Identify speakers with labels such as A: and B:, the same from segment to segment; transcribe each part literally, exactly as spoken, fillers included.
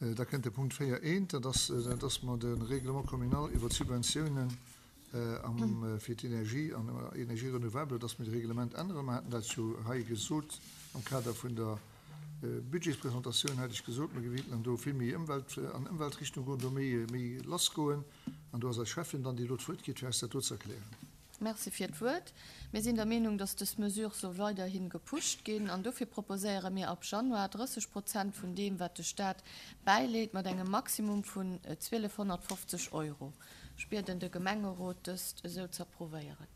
A: Da kënnt de Punkt véier eent, dat ass, dass mer de Règlement communal iwwer d'Subventiounen am fir d'Energie an Énergie renouvelable, dass mir de Reglement änneren. Mer haten dat jo hei gesot am Kader vun der Budgetspresentatioun, hat ech gesot, mer wéilten do vill méi Ëmwelt an Ëmweltrichtung goen, do méi méi lassgoen. An do ass eis Schäffin dann, déi elo d'Wuert kritt, fir eis dat do ze erklären.
B: Merci fir d'Wuert. Mir sinn der Meenung, dass dës Mesure soll weiderhi gepusht ginn an dofir proposéiere mir ab Januar drësseg Prozent vun deem, wat de Staat bäileet, mat engem Maximum vun zwielefhonnertfofzeg Euro. Ech bieden de Gemengerot, dëst esou z'approuvéieren.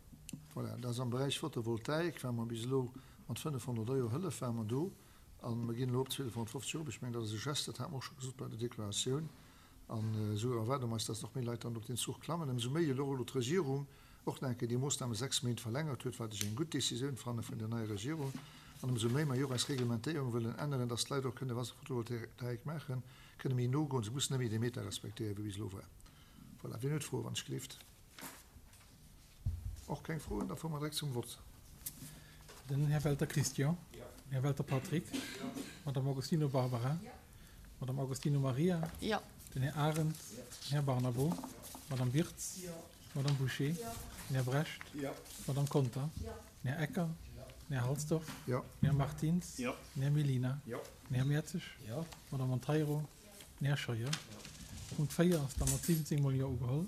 A: Voilà, dat ass am Beräich Photovoltaik, ware mer bis elo mat fënnefhonnert Euro Hëllef ware mer do a mer ginn elo op zwielefhonnertfofzeg erop. Ech mengen, dat ass e Geste, dat hate mer och scho gesot bei der Deklaratioun. An esou erwaarde mer eis, dass nach méi Leit dann op deen Zuch klammen. Ëmsou méi elo och elo d'Regierung och nach eng Kéier déi Moossname sechs Méint verlängert huet, wat ech eng gutt Décisioun fanne vun der neier Regierung. An ëmsou méi mer jo och eis Reglementéierung wëllen änneren, dass d'Leit och kënne, wa se Photovoltaik maachen, kënne méi no goen. Se mussen net méi dee Meter respektéieren, wéi bis elo war. Voilà, wien huet Froen, wann ech gleeft? Och keng Froen? Da fuere mer direkt zum Vott.
C: Den Här Welter Christian. Den Här Welter Patrick. D'Madame Agostino Barbara. D'Madame Agostino Maria. Den Här Arendt. Den Här Barnabo. D'Madame Wirtz. D'Madame Bouché. Den Här Brecht. D'Madame Conter. Den Här Ecker. Den Här Halsdorf. Den Här Martins. Den Här Mellina. Den Här Mertzig. D'Madame Monteiro. Den Här Scheuer. Punkt véier ass da mat siwwenzéng mol Jo ugeholl.